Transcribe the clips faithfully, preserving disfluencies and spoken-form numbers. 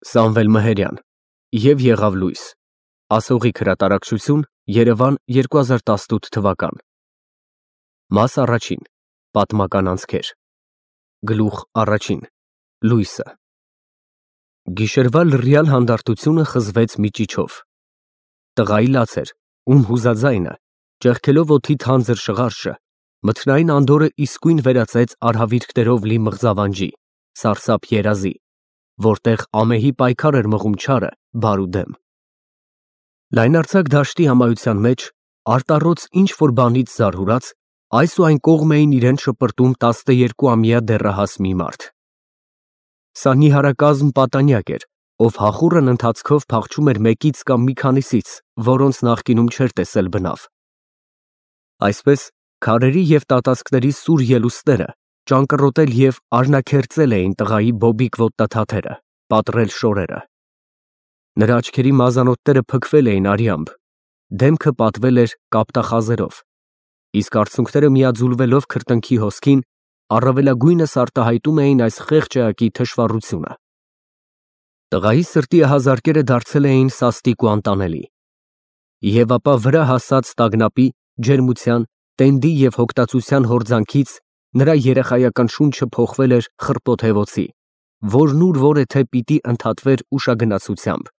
Սամվել Մհերյան և եղավ լույս, ասողիկ հրատարակչություն, Երևան երկու հազար տասնութ թվական Մաս առաջին, պատմական անցքեր, գլուխ առաջին, լույսը Գիշերվա լռյալ հանդարտությունը խզվեց մի ճիչով, տղայի լաց էր, ում հուզաձայնը, ճեղքելով օդի թանձր շղարշը, մթնային անդորրը իսկույն վերածեց արհավիրքներով լի մղձավանջի, սարսափ երազի, որտեղ ամեհի պայքար էր մղում չարը բարու դեմ։ Լայնարձակ դաշտի ամայության մեջ, արտառոց ինչ-որ բանից զարհուրած, այս ու այն կողմ էին իրեն շպրտում տասնեերկուամյա դեռահաս մի մարդ։ Սա նիհարակազմ պատանյակ էր, ով հախուռն ընթացքով փախչում էր մեկից կամ մի քանիսից, որոնց նախկինում չէր տեսել բնավ։ Այսպես, քարերի և տատասկների սուր ելուստները ճանկռոտել և արհնաքերծել էին տղայի բոբիկ ոտնաթաթերը, պատռել շորերը։ Նրա աչքերի մազանոթները փքվել էին արյամբ, դեմքը պատվել էր կապտախազերով, իսկ արցունքները միաձուլվելով քրտինքի հոսքին, առավելագույնս արտահայտում էին այս խեղճ էակի թշվառությունը։ Տղայի սրտի ահազարկերը դարձել էին սաստիկ ու անտանելի։ Եվ ապա վրա հասած տագնապի, ջերմության, տենդի և հոգտածության հորձանքից նրա երեխայական շունչը փոխվել էր խռպոտ հևոցի, որն ուր որեթե պիտի ընդհատվեր ուշագնացությամբ։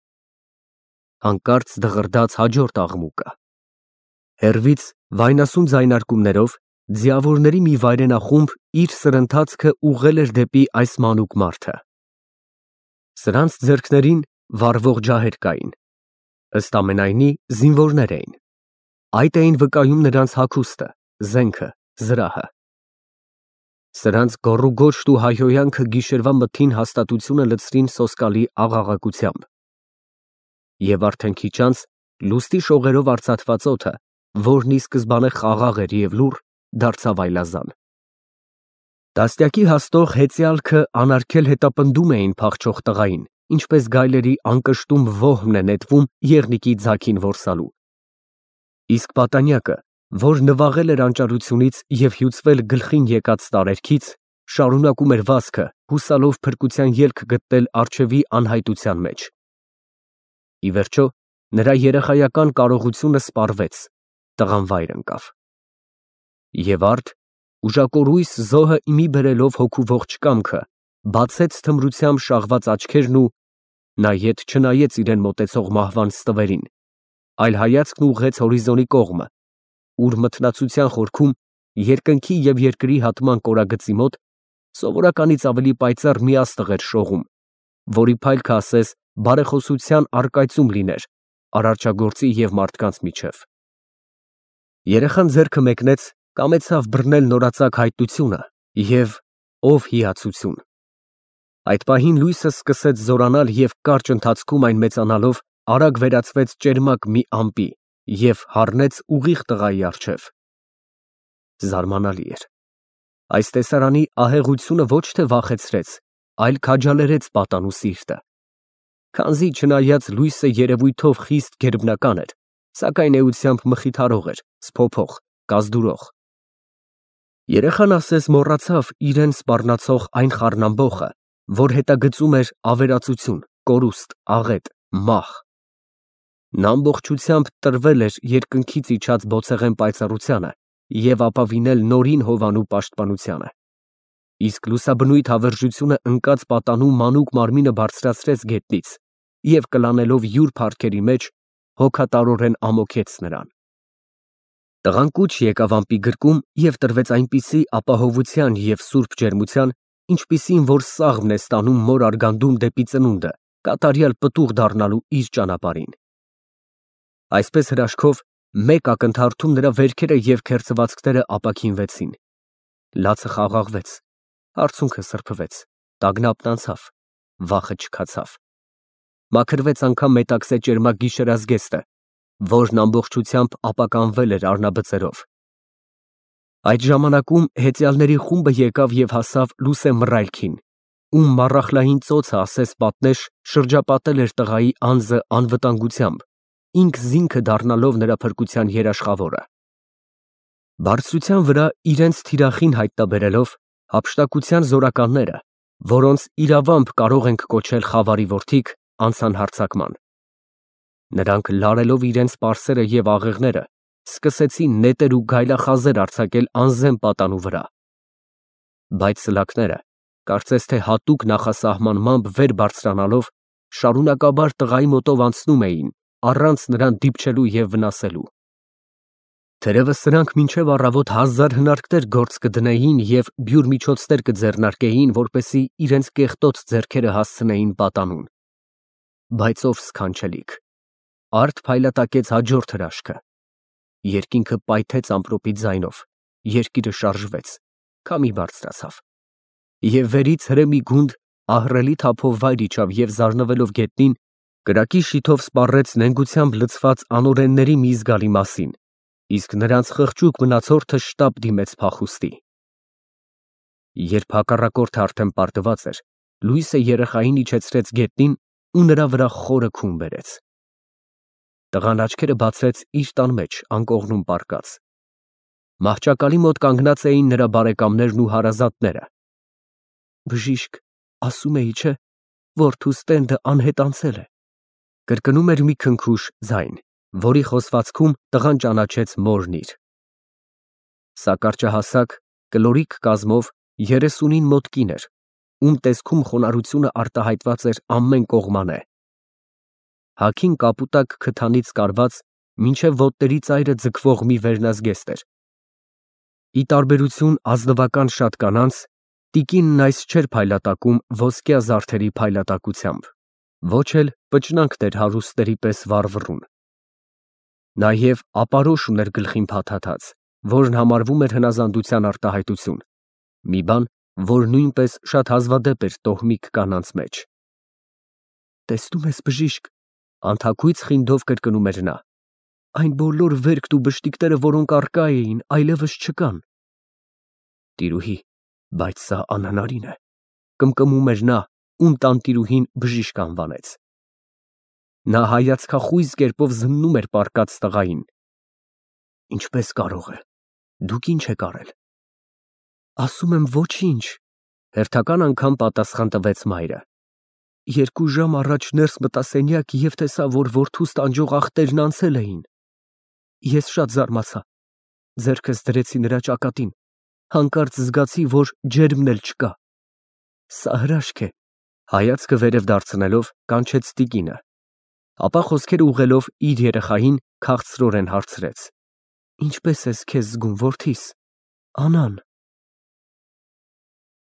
Հանկարծ դղրդաց հաջորդ աղմուկը։ Հեռվից, վայնասուն ձայնարկումներով, ձիավորների մի վայրենախումբ իր սրընթացքը ուղղել էր դեպի այս մանուկ մարդը։ Սրանց ձեռքներին վառվող ջահեր կային, ըստ ամենայնի զինվորներ էին։ Այդ էին վկայում նրանց հագուստը, զենքը, զրահը։ Սրանց գոռուգոշտ ու հայհոյանքը գիշերվա մթին հաստատությունը լցրին սոսկալի աղաղակությամբ։ Եվ արդեն քիչ անց լուստի շողերով արծաթված օդը, որն ի սկզբանե խաղաղ էր և լուռ, դարձավ այլազան։ Դաստիարակի հաստող հեծյալքը անարգել հետապնդում էին փախչող տղային, ինչպես գայլերի անկշտում ոհմն է նետվում եղնիկի ձագին որսալու։ Իսկ պատանյակը, որ նվաղել էր անճարությունից և հյուծվել գլխին եկած տարերքից, շարունակում էր վազքը, հուսալով փրկության ելք գտնել առջևի անհայտության մեջ։ Ի վերջո, նրա երեխայական կարողությունը սպառվեց, տղան վայր ընկավ։ Եվ արդ, ուժակորույս զոհը ի մի բերելով հոգու ողջ կամքը, բացեց թմրությամբ շաղված աչքերն ու նա ետ չնայեց իրեն մոտեցող մահվան ստվերին, այլ հայացքն ուղղեց հորիզոնի կողմը, ուր մթնացության խորքում, երկնքի և երկրի հատման կորագծի մոտ, սովորականից ավելի պայծառ մի աստղ էր շողում, որի փայլքը ասես բարեխոսության առկայծում լիներ արարչագործի և մարդկանց միջև։ Երեխան ձեռքը մեկնեց, կամեցավ բռնել նորածակ հայտնությունը և ով հիացություն։ Այդ պահին լույսը սկսեց զորանալ և կարճ ընթացքում այն մեծանալով արագ վերածվեց ճերմակ մի ամպի և հառնեց ուղիղ տղայի առջև։ Զարմանալի էր։ Այս տեսարանի ահեղությունը ոչ թե վախեցրեց, այլ քաջալերեց պատանու սիրտը։ Քանզի չնայած լույսը երևույթով խիստ գերբնական էր, սակայն էությամբ մխիթարող էր, սփոփող, կազդուրող։ Երեխան ասես մոռացավ իրան սպառնացող այն խառնամբոխը, որ հետագծում էր ավերածություն, կորուստ, աղետ, մահ։ Նա ամբողջությամբ տրվել էր երկնքից իջած բոցեղեն պայծառությանը և ապավինել նորին հովանու պաշտպանությանը։ Իսկ լուսաբնույթ հավերժությունը ընկած պատանու մանուկ մարմինը բարձրացրեց գետնից և կլանելով յուր փառքերի մեջ, հոգատարորեն ամոթեց նրան։ Տղան կուչ եկավ ամպի գրկում և տրվեց այնպիսի ապահովության և սուրբ ջերմության, ինչպիսին որ սաղմն է ստանում մոր արգանդում դեպի ծնունդը, կատարյալ պտուղ դառնալու իր ճանապարհին։ Այսպես հրաշքով, մեկ ակնթարթում նրա վերքերը և քերծվածքները ապաքինվեցին, լացը խաղաղվեց, արցունքը սրբվեց, տագնապն անցավ, վախը չքացավ։ Մաքրվեց անգամ մետաքսե ճերմակ գիշերազգեստը, որն ամբողջությամբ ապականվել էր առնաբծերով։ Այդ ժամանակում հեծյալների խումբը եկավ և հասավ Լուսե Մռայլքին, ում մառախլային ծոցը ասես պատնեշ շրջապատել էր տղայի անձը անվտանգությամբ, ինքն զինքը դառնալով նրա փրկության երաշխավորը։ Բարձրության վրա իրենց թիրախին հայտնաբերելով, հափշտակության զորականները, որոնց իրավամբ կարող ենք կոչել խավարի որդիք, անցան հարձակման։ Նրանք լարելով իրենց պարսերը և աղեղները, սկսեցին նետեր ու գայլախազեր արձակել անզեմ պատանու վրա։ Բայց սլաքները, կարծես թե հատուկ նախասահմանմամբ վեր բարձրանալով, շարունակաբար տղայի մոտով անցնում էին, առանց նրան դիպչելու և վնասելու։ Թերևս սրանք մինչև առավոտ հազար հնարքներ գործ կդնեին և բյուր միջոցներ կձեռնարկեին, որպեսզի իրենց կեղտոտ ձեռքերը հասցնեին պատանուն։ Բայց ով սքանչելիք, արդ փայլատակեց հաջորդ հրաշքը։ Երկինքը պայթեց ամպրոպի ձայնով, երկիրը շարժվեց, քամի բարձրացավ, և վերից հրե մի գունդ ահռելի թափով վայր իջավ և զարնվելով գետնին, կրակի շիթով սպառեց նենգությամբ լցված անօրենների մի զգալի մասին, իսկ նրանց խղճուկ մնացորդը շտապ դիմեց փախուստի։ Երբ հակառակորդը արդեն պարտված էր, լույսը երեխային իջեցրեց գետնին ու նրա վրա խորը քուն բերեց։ Տղան աչքերը բացեց իր տան մեջ անկողնում պառկած։ Մահճակալի մոտ կանգնած էին նրա բարեկամներն ու հարազատները։ «Բժիշկ, ասում էի, չէ՞, որդուս տենդը անհետանցել է», կրկնում էր մի քնքուշ ձայն, որի խոսվածքում տղան ճանաչեց մորն իր։ Սա կարճահասակ, կլորիկ կազմով երեսունին մոտ կին էր, ում տեսքում խոնարհությունը արտահայտված էր ամեն կողմանե։ Հագին կապուտակ քթանից կարված, մինչև ոտների ծայրը ձգվող մի վերնազգեստ էր։ Ի տարբերություն ազնվական շատ կանանց, տիկինն այս չէր փայլատակում ոսկյա զարդերի փայլատակությամբ, ոչ էլ պճնանքներ հարուստների պես վառվռուն։ Նաև ապարոշ ուներ գլխին փաթաթած, որն համարվում էր հնազանդության արտահայտություն, մի բան, որ նույնպես շատ հազվադեպ էր տոհմիկ կանանց մեջ։ «Տեսնում ես, բժիշկ», անթաքույց խինդով կրկնում էր նա, «այն բոլոր վերքն ու բշտիկները, որոնք առկա էին, այլևս չկան»։ «Տիրուհի, բայց սա անհնարին է», կմկմում էր նա, ում տանտիրուհին բժիշկ անվանեց։ Նա հայացքախույզ կերպով զննում էր պառկած տղային։ «Ինչպես կարող է, դուք ի՞նչ եք արել»։ «Ասում եմ ոչինչ», հերթական անգամ պատասխան տվեց մայրը։ «Երկու ժամ առաջ ներս մտա սենյակ և տեսա, որ որդուս տանջող աղտերն անցել էին։ Ես շատ զարմացա, ձեռքս դրեցի նրա ճակատին, հանկարծ զգացի, որ ջերմն էլ չկա։ Սա հրաշք է», հայացքը վերև դարձնելով կանչեց տիկինը, ապա խոսքերը ուղղելով իր երեխային քաղցրորեն հարցրեց. «Ինչպե՞ս ես քեզ զգում, որդիս, Անան»։